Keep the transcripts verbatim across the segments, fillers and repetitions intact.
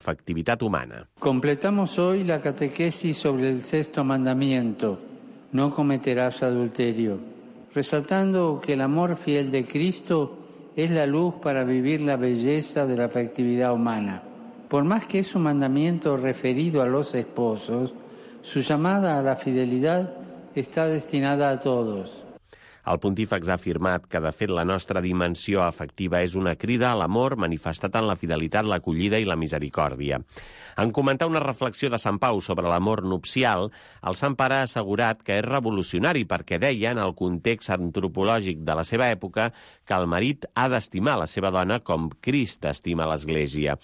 afectivitat humana. Completamos hoy la catequesis sobre el sexto mandamiento, no cometerás adulterio, resaltando que el amor fiel de Cristo es la luz para vivir la belleza de la afectividad humana. Por más que es un mandamiento referido a los esposos, su llamada a la fidelidad está destinada a todos. El pontífex ha afirmat que, de fet, la nostra dimensió afectiva és una crida a l'amor manifestat en la fidelitat, l'acollida i la misericòrdia. En comentar una reflexió de Sant Pau sobre l'amor nupcial, el Sant Pare ha assegurat que és revolucionari perquè deia, en el context antropològic de la seva època, que el marit ha d'estimar la seva dona com Crist estima l'Església.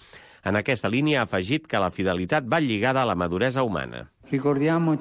En aquesta línia ha afegit que la fidelitat va lligada a la maduresa humana. Recordem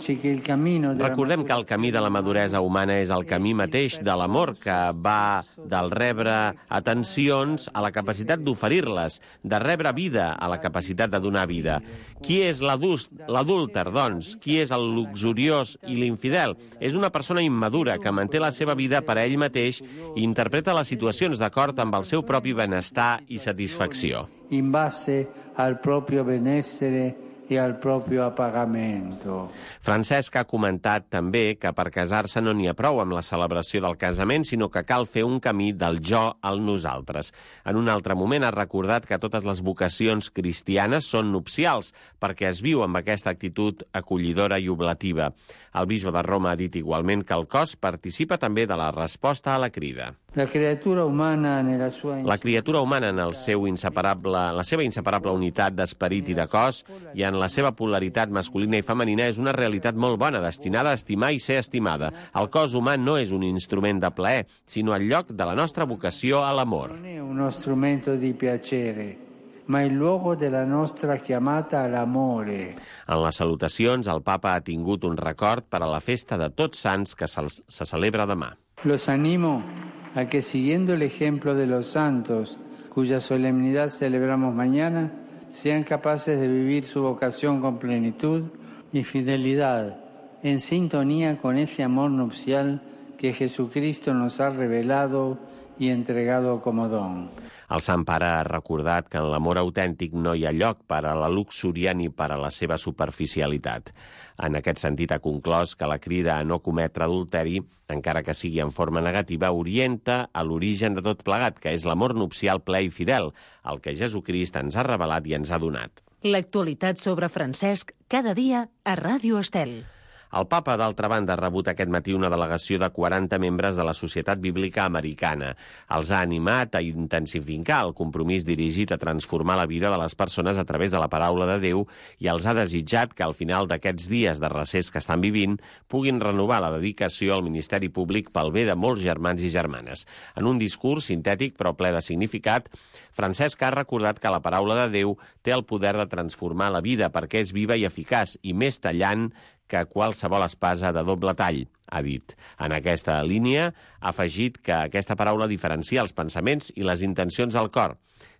que el camí de la maduresa humana és el camí mateix de l'amor, que va del rebre atencions a la capacitat d'oferir-les, de rebre vida a la capacitat de donar vida. Qui és l'adúlter, doncs? Qui és el luxuriós i l'infidel? És una persona immadura que manté la seva vida per a ell mateix i interpreta les situacions d'acord amb el seu propi benestar i satisfacció. In base al proprio benessere i al proprio appagamento. Francesc ha comentat també que per casar-se no n'hi ha prou amb la celebració del casament, sinó que cal fer un camí del jo al nosaltres. En un altre moment ha recordat que totes les vocacions cristianes són nupcials, perquè es viu amb aquesta actitud acollidora i oblativa. El bisbe de Roma ha dit igualment que el cos participa també de la resposta a la crida. La criatura humana nella sua... La criatura humana en el seu inseparable, la seva inseparable unitat d'esperit i de cos i en la seva polaritat masculina i femenina és una realitat molt bona, destinada a estimar i ser estimada. El cos humà no és un instrument de plaer, sinó el lloc de la nostra vocació a l'amor. Non è uno strumento di piacere, ma il luogo della nostra chiamata all'amore. En les salutacions, el papa ha tingut un record per a la festa de Tots Sants que se, se celebra demà. Los animo a que, siguiendo el ejemplo de los santos, cuya solemnidad celebramos mañana, sean capaces de vivir su vocación con plenitud y fidelidad, en sintonía con ese amor nupcial que Jesucristo nos ha revelado y entregado como don. El Sant Pare ha recordat que en l'amor autèntic no hi ha lloc per a la luxúria ni per a la seva superficialitat. En aquest sentit ha conclòs que la crida a no cometre adulteri, encara que sigui en forma negativa, orienta a l'origen de tot plegat, que és l'amor nupcial ple i fidel, el que Jesucrist ens ha revelat i ens ha donat. L'actualitat sobre Francesc cada dia a Ràdio Estel. El papa, d'altra banda, ha rebut aquest matí una delegació de quaranta membres de la Societat Bíblica Americana. Els ha animat a intensificar el compromís dirigit a transformar la vida de les persones a través de la paraula de Déu i els ha desitjat que al final d'aquests dies de recés que estan vivint puguin renovar la dedicació al ministeri públic pel bé de molts germans i germanes. En un discurs sintètic però ple de significat, Francesc ha recordat que la paraula de Déu té el poder de transformar la vida perquè és viva i eficaç i més tallant que qualsevol espasa de doble tall, ha dit. En aquesta línia ha afegit que aquesta paraula diferencia els pensaments i les intencions del cor.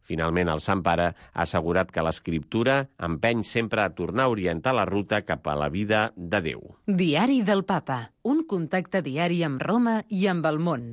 Finalment, el Sant Pare ha assegurat que l'Escriptura empeny sempre a tornar a orientar la ruta cap a la vida de Déu. Diari del Papa, un contacte diari amb Roma i amb el món.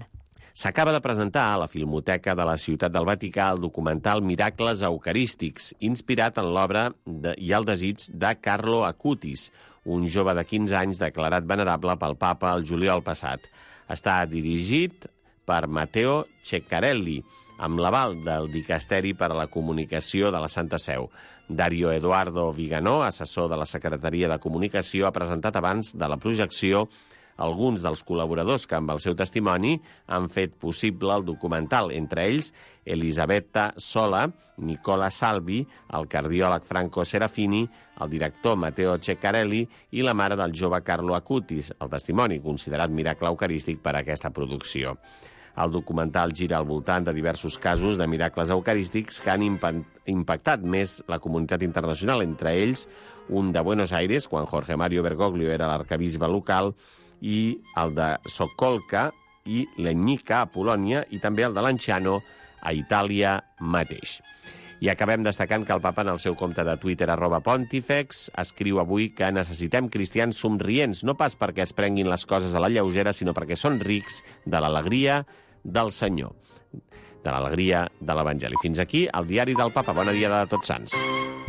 S'acaba de presentar a la Filmoteca de la Ciutat del Vaticà el documental Miracles Eucarístics, inspirat en l'obra de, i el desig de Carlo Acutis, un jove de quinze anys declarat venerable pel papa el juliol passat. Està dirigit per Matteo Ceccarelli, amb l'aval del Dicasteri per a la Comunicació de la Santa Seu. Dario Eduardo Viganò, assessor de la Secretaria de Comunicació, ha presentat abans de la projecció alguns dels col·laboradors que amb el seu testimoni han fet possible el documental, entre ells Elisabetta Sola, Nicola Salvi, el cardiòleg Franco Serafini, el director Matteo Ceccarelli i la mare del jove Carlo Acutis, el testimoni considerat miracle eucarístic per a aquesta producció. El documental gira al voltant de diversos casos de miracles eucarístics que han impactat més la comunitat internacional, entre ells un de Buenos Aires, quan Jorge Mario Bergoglio era l'arquebisbe local, i el de Sokolka i Legnica a Polònia i també el de Lanciano a Itàlia mateix. I acabem destacant que el papa en el seu compte de Twitter arroba Pontifex escriu avui que necessitem cristians somrients, no pas perquè es prenguin les coses a la lleugera, sinó perquè són rics de l'alegria del Senyor, de l'alegria de l'Evangeli. Fins aquí el diari del papa. Bona dia de Tots Sants.